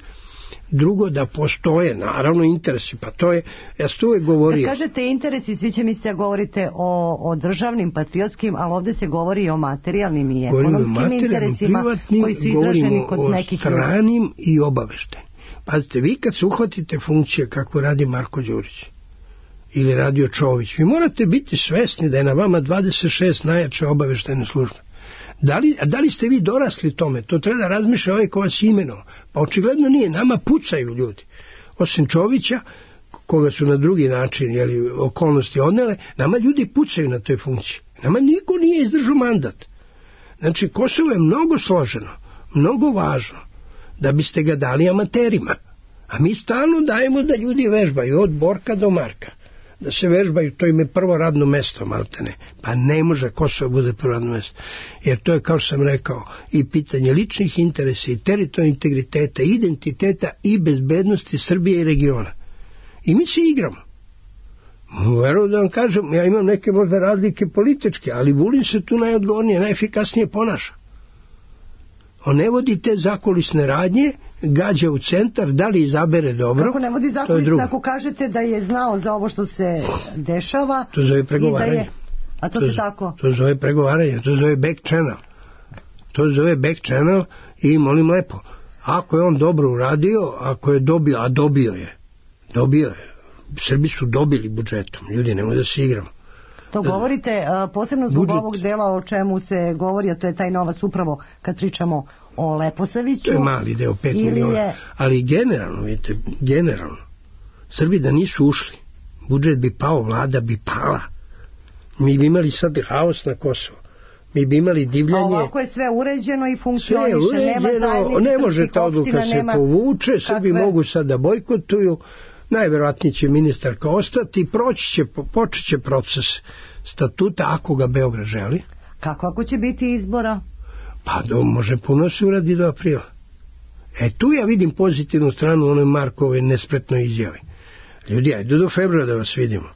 Drugo, da postoje naravno interesi, pa to je, ja sam uvijek govorio. Kad kažete interesi, svi će misliti da govorite o državnim, patriotskim, ali ovdje se govori i o materijalnim i ekonomskim interesima koji su izraženi kod nekih. Govorimo o stranim i obaveštajnim. Pazite, vi kad se uhvatite funkcije kako radi Marko Đurić ili radio Čović, vi morate biti svesni da je na vama 26 najjače obaveštajne službe. Da li ste vi dorasli tome? To treba da razmišlja ovaj ko vas imenovao. Pa očigledno nije. Nama pucaju ljudi. Osim Čovića, koga su na drugi način okolnosti odnele, nama ljudi pucaju na toj funkciji. Nama niko nije izdržao mandat. Znači, Kosovo je mnogo složeno, mnogo važno, da biste ga dali amaterima. A mi stalno dajemo da ljudi vežbaju, od Borka do Marka. Da se vežbaju, to im je prvo radno mesto, maltene. Pa ne može Kosovo bude prvo radno mesto. Jer to je, kao što sam rekao, i pitanje ličnih interesa, i teritorijalnog integriteta, identiteta i bezbednosti Srbije i regiona. I mi se igramo. Verujem da vam kažem, ja imam neke možda razlike političke, ali Vulin se tu najodgovornije, najefikasnije ponaša. On ne vodi te zakulisne radnje, gađa u centar, da li izabere dobro. Kako ne vodi zakulisne, ako kažete da je znao za ovo što se dešava. To zove pregovaranje. A to se tako? To zove pregovaranje, to zove back channel. To zove back channel i molim lepo, ako je on dobro uradio, ako je dobio, a dobio je. Srbi su dobili budžetom, ljudi, nemoj da se igramo. To govorite posebno zbog ovog dela o čemu se govori, a to je taj novac upravo kad pričamo o Leposaviću. To je mali deo, 5 miliona. Ali generalno, vidite, Srbi da nisu ušli, budžet bi pao, vlada bi pala. Mi bi imali sad haos na Kosovo. Mi bi imali divljanje. A ovako je sve uređeno i funkcioniše. Ne može ta odluka se povuče, Srbi mogu sad da bojkotuju. Najverovatnije će ministarka ostati i počet će proces statuta ako ga Beograd želi. Kako ako će biti izbora? Pa može puno se uradi do aprila. Tu ja vidim pozitivnu stranu onoj Markove nespretnoj izjavi. Ljudi, ajde do februara da vas vidimo.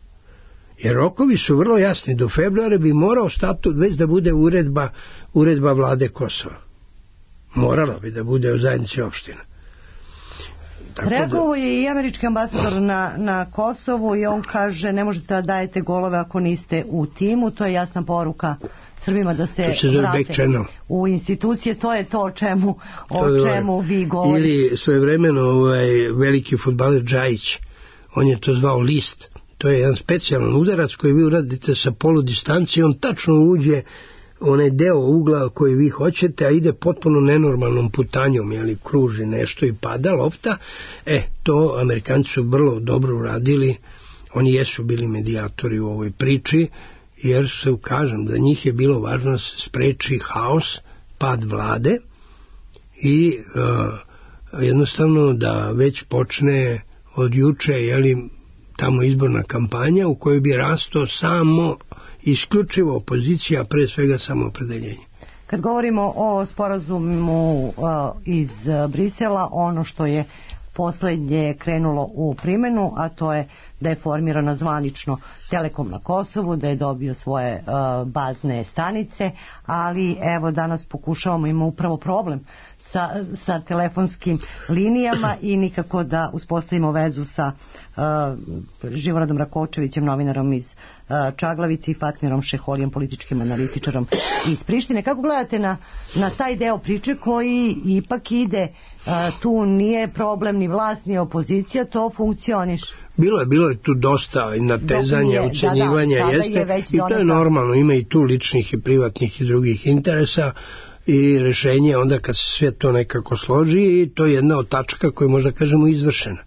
Jer rokovi su vrlo jasni. Do februara bi morao statut već da bude uredba vlade Kosova. Morala bi da bude u zajednici opština. Reagovao je i američki ambasador na Kosovu i on kaže ne možete da dajete golove ako niste u timu, to je jasna poruka Srbima da se vrate u institucije, to je to o čemu vi govorite. Ili svojevremeno veliki fudbaler Džajić, on je to zvao list, to je jedan specijalan udarac koji vi uradite sa polodistancije, on tačno uđe onaj deo ugla koji vi hoćete, a ide potpuno nenormalnom putanjom, jeli kruži nešto i pada lopta. To Amerikanci su vrlo dobro uradili, oni jesu bili medijatori u ovoj priči, jer se kažem da njih je bilo važno da se spreči haos, pad vlade i jednostavno da već počne od juče, jeli, tamo izborna kampanja u kojoj bi rastao samo isključivo opozicija, pre svega samoopredeljenje. Kad govorimo o sporazumu iz Brisela, ono što je poslednje krenulo u primjenu, a to je da je formirana zvanično Telekom na Kosovu, da je dobio svoje bazne stanice, ali evo danas pokušavamo, ima upravo problem sa telefonskim linijama i nikako da uspostavimo vezu sa Živoradom Rakočevićem, novinarom iz Čaglavice, i Fatmirom Šeholijem, političkim analitičarom iz Prištine. Kako gledate na taj deo priče koji ipak ide, tu nije problem ni vlast ni opozicija, to funkcioniše? Bilo je tu dosta natezanja, ucenjivanja, jeste, i to je normalno, ima i tu ličnih i privatnih i drugih interesa i rešenje onda kad se sve to nekako složi, i to je jedna od tačaka koja možda kažemo izvršena.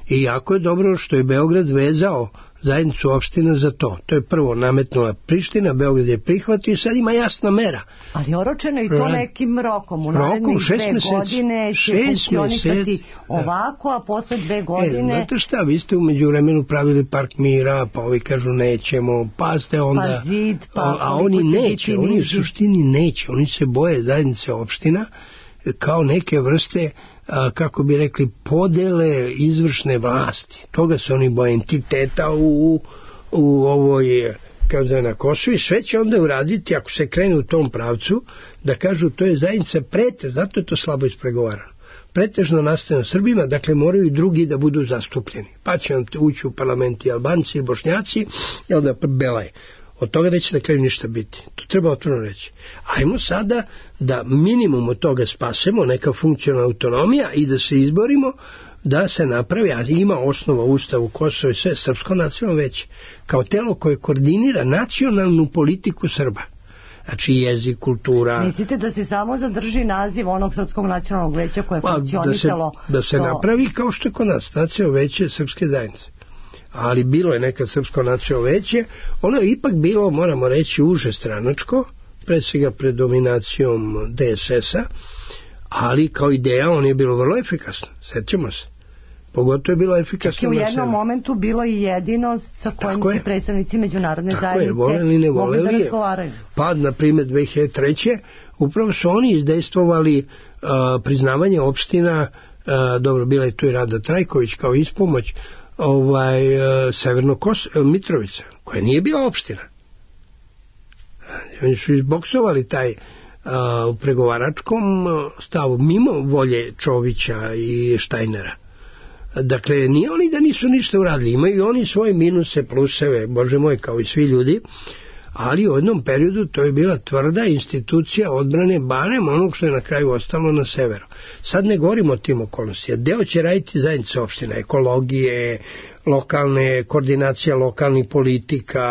I jako je dobro što je Beograd vezao zajednicu opština za to. To je prvo nametnula Priština, Beograd je prihvatio i sad ima jasna mera. Ali oročeno i to nekim rokom. U narednih 2 godine će funkcionisati ovako, a posle 2 godine... Znate šta, vi ste umeđu vremenu pravili park mira, pa ovi kažu nećemo, pa ste onda... Pa zid, a oni neće, oni u suštini neće, oni se boje zajednice opština kao neke vrste, kako bi rekli, podele izvršne vlasti. Toga se oni boje, entiteta u ovoj, kao da je na Kosovu, i sve će onda uraditi, ako se krene u tom pravcu, da kažu to je zajednica zato je to slabo ispregovarano. Pretežno nastaje Srbima, dakle moraju i drugi da budu zastupljeni. Pa će vam ući u parlament i Albanci i Bošnjaci, i onda Belaj. Od toga neće na kraju ništa biti. To treba otvoreno reći. Ajmo sada da minimum od toga spasemo, neka funkcionalna autonomija, i da se izborimo da se napravi, a ima osnova Ustavu Kosova i sve, Srpsko nacionalno veće, kao telo koje koordinira nacionalnu politiku Srba. Znači jezik, kultura... Mislite da se samo zadrži naziv onog Srpskog nacionalnog veća koje je funkcionisalo... Da se napravi kao što je kod nas, nacionalno veće Srpske zajednice. Ali bilo je nekad Srpsko nacionalno veće, ono je ipak bilo, moramo reći, uže stranačko, pred svega pred dominacijom DSS-a, ali kao ideja on je bilo vrlo efikasno, sjećamo se. Pogotovo je bilo efikasno. Čak je u jednom momentu bilo i jedino sa kojim se predstavnici međunarodne zajednice mogli da razgovaraju. Pa, na primjer, 2003. upravo su oni izdejstvovali priznavanje opština, dobro, bila je tu i Rada Trajković kao ispomoć, Severno Mitrovica, koja nije bila opština. Oni su izboksovali taj u pregovaračkom stavu mimo volje Čovića i Štajnera. Dakle, nije oni da nisu ništa uradili, imaju oni svoje minuse, pluseve, Bože moj, kao i svi ljudi, ali u jednom periodu to je bila tvrda institucija odbrane, barem onog što je na kraju ostalo na severu. Sad ne govorimo o tim okolnostima. Deo će raditi zajednice opština, ekologije, lokalne, koordinacija lokalnih politika,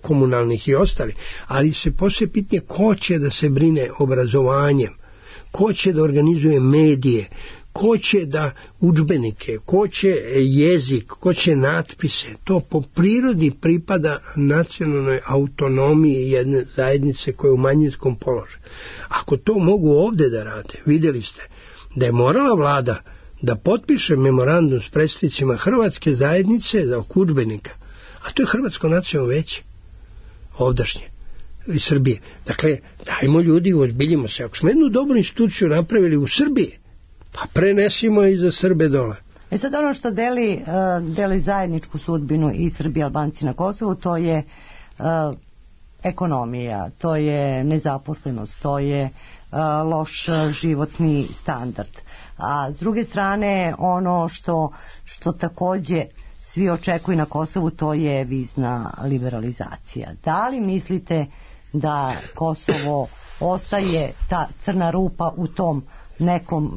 komunalnih i ostali, ali se poslije pitanje ko će da se brine obrazovanjem, ko će da organizuje medije, ko će da udžbenike, ko će jezik, ko će natpise, to po prirodi pripada nacionalnoj autonomiji jedne zajednice koja je u manjinskom položaju. Ako to mogu ovde da rade, vidjeli ste da je morala vlada da potpiše memorandum s predstavnicima Hrvatske zajednice za udžbenika, a to je Hrvatsko nacionalno veće ovdašnje iz Srbije. Dakle, dajmo ljudi, uozbiljimo se. Ako smo jednu dobru instituciju napravili u Srbiji, pa prenesimo i za Srbe dole. Sad ono što deli zajedničku sudbinu i Srbi i Albanci na Kosovu, to je ekonomija, to je nezaposlenost, to je loš životni standard. A s druge strane, ono što takođe svi očekuju na Kosovu, to je vizna liberalizacija. Da li mislite da Kosovo ostaje ta crna rupa u tom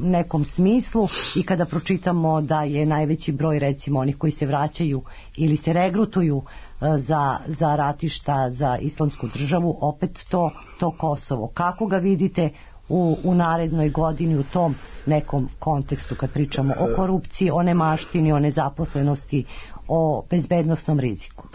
nekom smislu, i kada pročitamo da je najveći broj recimo onih koji se vraćaju ili se regrutuju za ratišta za islamsku državu, opet to Kosovo. Kako ga vidite u narednoj godini u tom nekom kontekstu kad pričamo o korupciji, o nemaštini, o nezaposlenosti, o bezbednosnom riziku?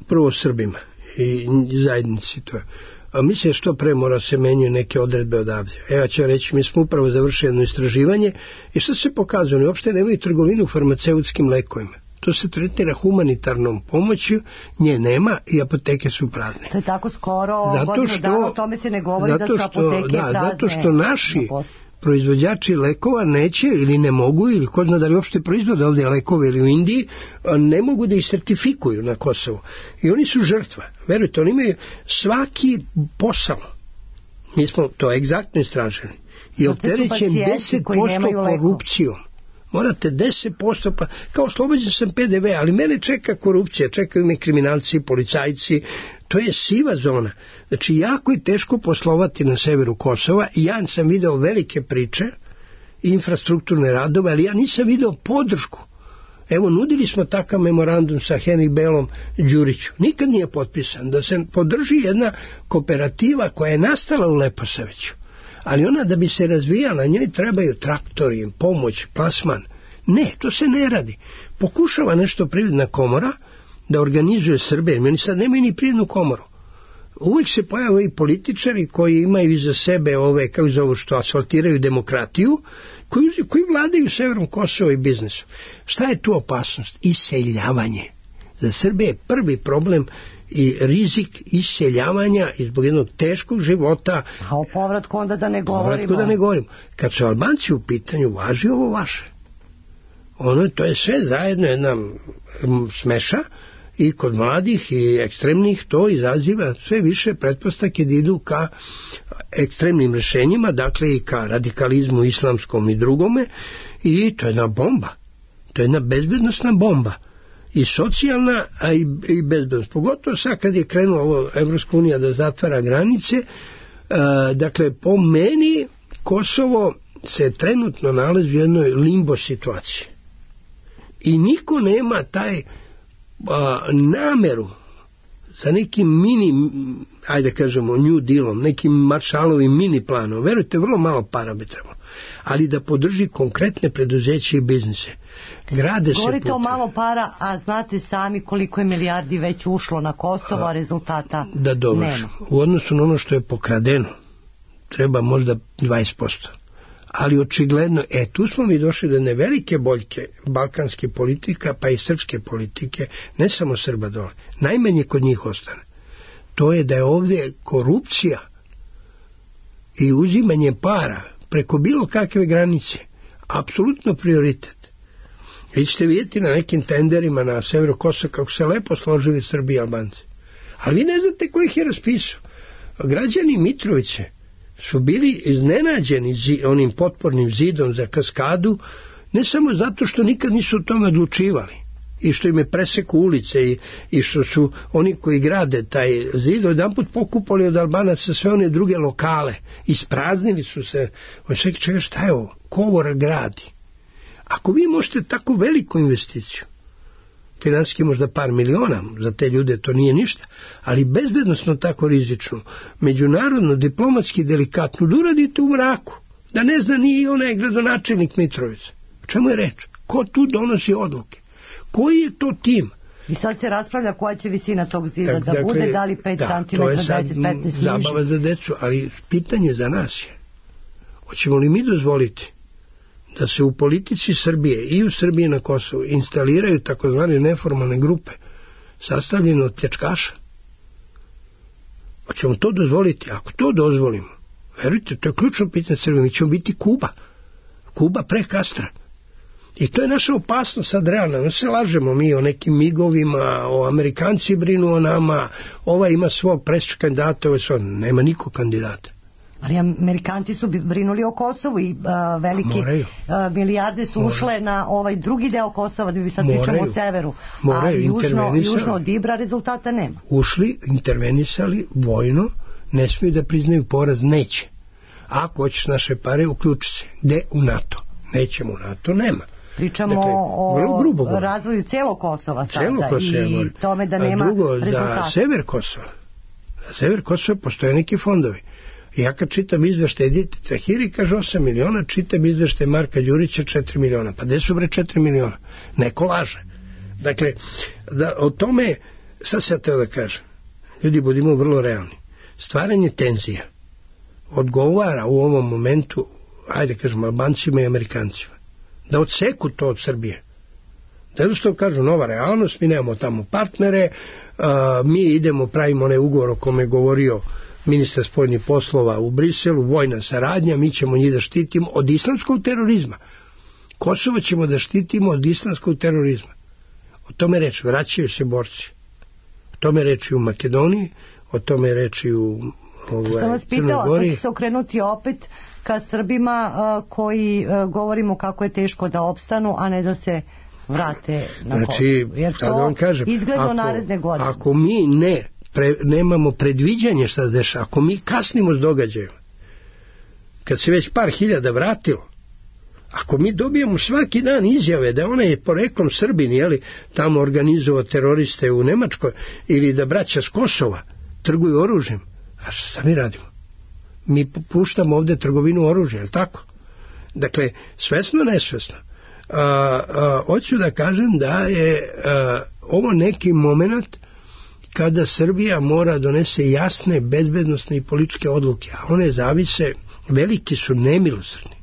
Prvo Srbima i zajednici to je. A mislim što pre mora se menjaju neke odredbe odavde. Ja ću reći, mi smo upravo završili jedno istraživanje i što se pokazuje, oni uopšte nemaju trgovinu farmaceutskim lekovima. To se tretira humanitarnom pomoću, nje nema i apoteke su prazne. To je tako skoro, godinu dana o tome se ne govori da su apoteke prazne. Zato što naši proizvođači lekova neće ili ne mogu, ili ko zna da li uopšte proizvode ovdje lekove ili u Indiji, ne mogu da ih sertifikuju na Kosovu. I oni su žrtva. Verujte, oni imaju svaki posao. Mi smo to egzaktno istražili. I opterećen 10% korupcijom. Morate 10%, pa kao oslobođen sam PDV, ali mene čeka korupcija, čekaju me kriminalci, policajci, to je siva zona. Znači, jako je teško poslovati na severu Kosova i ja sam video velike priče, infrastrukturne radove, ali ja nisam video podršku. Evo, nudili smo takav memorandum sa Henry Belom Đuriću. Nikad nije potpisan. Da se podrži jedna kooperativa koja je nastala u Leposaviću. Ali ona da bi se razvijala, njoj trebaju traktori, pomoć, plasman. Ne, to se ne radi. Pokušava nešto Privredna komora da organizuje Srbe, jer oni sad nemaju ni Privrednu komoru. Uvijek se pojave i političari koji imaju iza sebe ove, kako zovu, što asfaltiraju demokratiju, koji vladaju severom Kosova i biznisom. Šta je tu opasnost? Iseljavanje. Za Srbe je prvi problem i rizik iseljavanja i zbog jednog teškog života. A o povratku onda da ne govorimo. Kad su Albanci u pitanju, važi ovo vaše. To je sve zajedno jedna smeša i kod mladih i ekstremnih to izaziva sve više pretpostavke da idu ka ekstremnim rješenjima, dakle i ka radikalizmu islamskom i drugome, i to je jedna bomba. To je jedna bezbednosna bomba. I socijalna, a i bezbednost. Pogotovo sad kad je krenula Evropska unija da zatvara granice, dakle po meni Kosovo se trenutno nalazi u jednoj limbo situaciji. I niko nema taj nameru za nekim mini, ajde kažemo New Dealom, nekim Marshallovim mini planom. Verujte, vrlo malo para bi trebalo. Ali da podrži konkretne preduzeće i biznise. Govorite o malo para, a znate sami koliko je milijardi već ušlo na Kosovo, a rezultata nema. U odnosu na ono što je pokradeno treba možda 20%. Ali očigledno, tu smo mi došli do jedne velike boljke balkanske politika, pa i srpske politike, ne samo Srba dole. Najmanje kod njih ostane. To je da je ovdje korupcija i uzimanje para preko bilo kakve granice apsolutno prioritet. Vi ćete vidjeti na nekim tenderima na severu Kosova kako se lepo složili Srbi i Albanci. Ali vi ne znate ko ih je raspisao. Građani Mitrovice su bili iznenađeni onim potpornim zidom za kaskadu, ne samo zato što nikad nisu o tome odlučivali i što im je preseku ulice i što su oni koji grade taj zid jedanput pokupali od Albanaca sve one druge lokale, ispraznili su se. On se čega, šta je ovo? Ko ovo gradi? Ako vi možete tako veliku investiciju, financijski možda par miliona, za te ljude to nije ništa, ali bezbednosno tako rizično, međunarodno, diplomatski delikatno, da uradite u mraku, da ne zna ni onaj gradonačelnik Mitrovice. O čemu je reč? Ko tu donosi odluke? Koji je to tim? I sad se raspravlja koja će visina tog zida da bude, da li 5 cm, 10, 15 niže. Zabava za decu, ali pitanje za nas je, hoćemo li mi dozvoliti da se u politici Srbije i u Srbiji na Kosovu instaliraju takozvane neformalne grupe sastavljene od pljačkaša? Hoćemo to dozvoliti? Ako to dozvolimo, verujte, to je ključno pitanje Srbije, mi ćemo biti Kuba pre Kastra. I to je naša opasnost sad realna. Ne se lažemo mi o nekim migovima, o Amerikanci brinu o nama, ova ima svog kandidata, nema nikog kandidata. Ali Amerikanci su brinuli o Kosovu i velike milijarde su ušle na ovaj drugi deo Kosova, da bi sad pričamo o severu. A južno od Ibra rezultata nema. Ušli, intervenisali vojno, ne smiju da priznaju poraz, neće. Ako hoćeš naše pare, uključi se. Gde? U NATO. Nećemo u NATO, nema. Pričamo o razvoju celog Kosova sada i tome da nema rezultata. Da sever Kosova postoje neki fondovi. Ja kad čitam izveštaj Edite Tahiri, kaže 8 miliona, čitam izveštaj Marka Đurića 4 miliona. Pa gde su bre 4 miliona? Neko laže. Dakle, o tome, sad se ja teo da kažem, ljudi, budimo vrlo realni. Stvaranje tenzija odgovara u ovom momentu, ajde kažemo, Albancima i Amerikancima. Da odseku to od Srbije. Da jednostavno kažu nova realnost, mi nemamo tamo partnere, mi idemo, pravimo onaj ugovor o kome je govorio ministar spoljnih poslova u Briselu, vojna saradnja, mi ćemo njih da štitimo od islamskog terorizma. Kosovo ćemo da štitimo od islamskog terorizma. O tome reči, vraćaju se borci. O tome reči u Makedoniji, o tome reči u Sam vas pitala, to će se okrenuti opet ka Srbima koji govorimo kako je teško da opstanu, a ne da se vrate na Kosovo. Jer to izgleda naredne godine. Ako mi nemamo predviđanje šta se dešava, ako mi kasnimo s događajima, kad se već par hiljada vratilo, ako mi dobijemo svaki dan izjave da ona je poreklom Srbin, jeli, tamo organizovao teroriste u Nemačkoj, ili da braća s Kosova trguju oružjem, a šta mi radimo? Mi puštamo ovde trgovinu oružja, je li tako? Dakle, svesno, nesvesno. Hoću da kažem da je ovo neki moment kada Srbija mora donese jasne bezbednosne i političke odluke, a one zavise, veliki su nemilosrdni.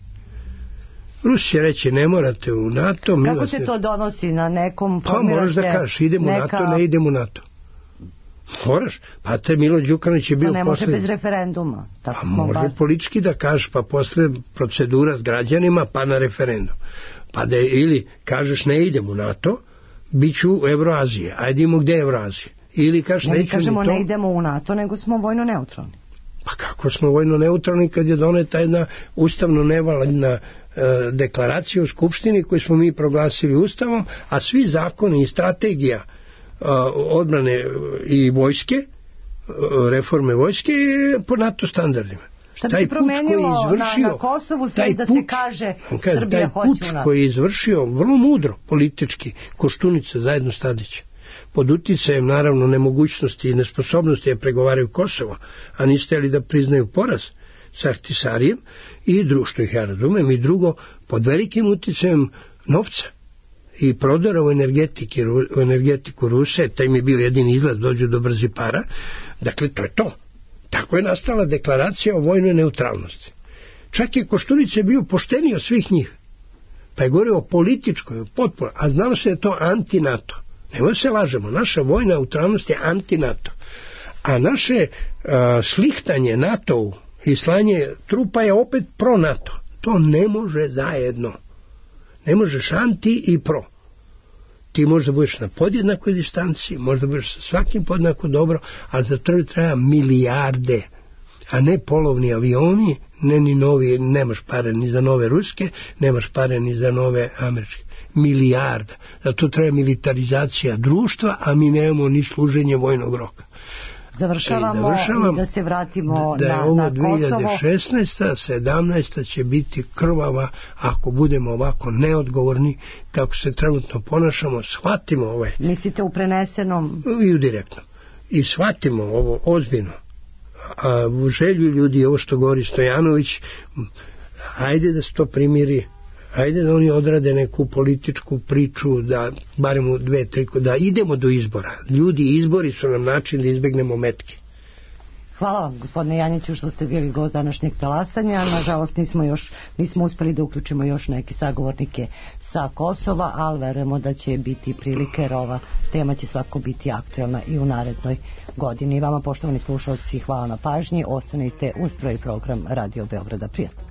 Rusi će reći ne morate u NATO. Kako se to donosi na nekom... Pa moraš da kažeš idemo u NATO, ne idemo u NATO. Moraš, pa te Milo Đukanović je bio posle... To ne može bez referenduma. Pa može politički da kažeš, pa posle procedura s građanima, pa na referendum. Pa da ili kažeš ne idemo u NATO, bit ću u Evroazije, ajde idemo gde je Evroazije. Ili kažeš neću ni to... Mi kažemo ne idemo u NATO, nego smo vojno neutralni. Pa kako smo vojno neutralni kad je doneta jedna ustavno nevalidna deklaracija u Skupštini koju smo mi proglasili ustavom, a svi zakoni i strategija odbrane i vojske, reforme vojske je po NATO standardima. Šta bi se promenilo na Kosovu sve da se kaže Srbija hoće u NATO? Taj puč koji je izvršio vrlo mudro politički Koštunica zajedno s Tadićem, pod uticajem naravno nemogućnosti i nesposobnosti da pregovaraju Kosovo, a niste li da priznaju poraz sa Ahtisarijem i što ih ja razumem, i drugo pod velikim uticajem novca i prodora u energetiku Ruse, taj mi je bio jedini izlaz, dođu do brzi para. Dakle, to je to. Tako je nastala deklaracija o vojnoj neutralnosti. Čak je Koštunica bio pošteniji od svih njih, pa je govorio o političkoj potpori, a znalo se da je to anti-NATO. Nemoj se lažemo, naša vojna neutralnost je anti-NATO, a naše šlihtanje NATO-u i slanje trupa je opet pro-NATO. To ne može zajedno. Ne možeš anti i pro. Ti možda budeš na podjednakoj distanci, možda budeš sa svakim podjednako dobro, ali za to treba milijarde, a ne polovni avioni, ne ni novi, nemaš pare ni za nove ruske, nemaš pare ni za nove američke. Milijarda. Zato treba militarizacija društva, a mi nemamo ni služenje vojnog roka. Završavamo i da se vratimo na Kosovo. Da je ovo 2016. 17. će biti krvava ako budemo ovako neodgovorni kako se trenutno ponašamo, shvatimo ovaj. Mislite u prenesenom? I u direktnom. I shvatimo ovo ozbiljno. A u želju ljudi, ovo što govori Stojanović, ajde da se to primiri, ajde da oni odrade neku političku priču, da barem u 2-3, da idemo do izbora. Ljudi, izbori su nam način da izbegnemo metke. Hvala vam, gospodine Janjiću, što ste bili gost današnjeg talasanja. Nažalost, nismo uspeli da uključimo još neke sagovornike sa Kosova, ali verujemo da će biti prilike, jer ova tema će svako biti aktuelna i u narednoj godini. Vama, poštovani slušalci, hvala na pažnji. Ostanite uz prvi program Radio Beograda. Prijatno.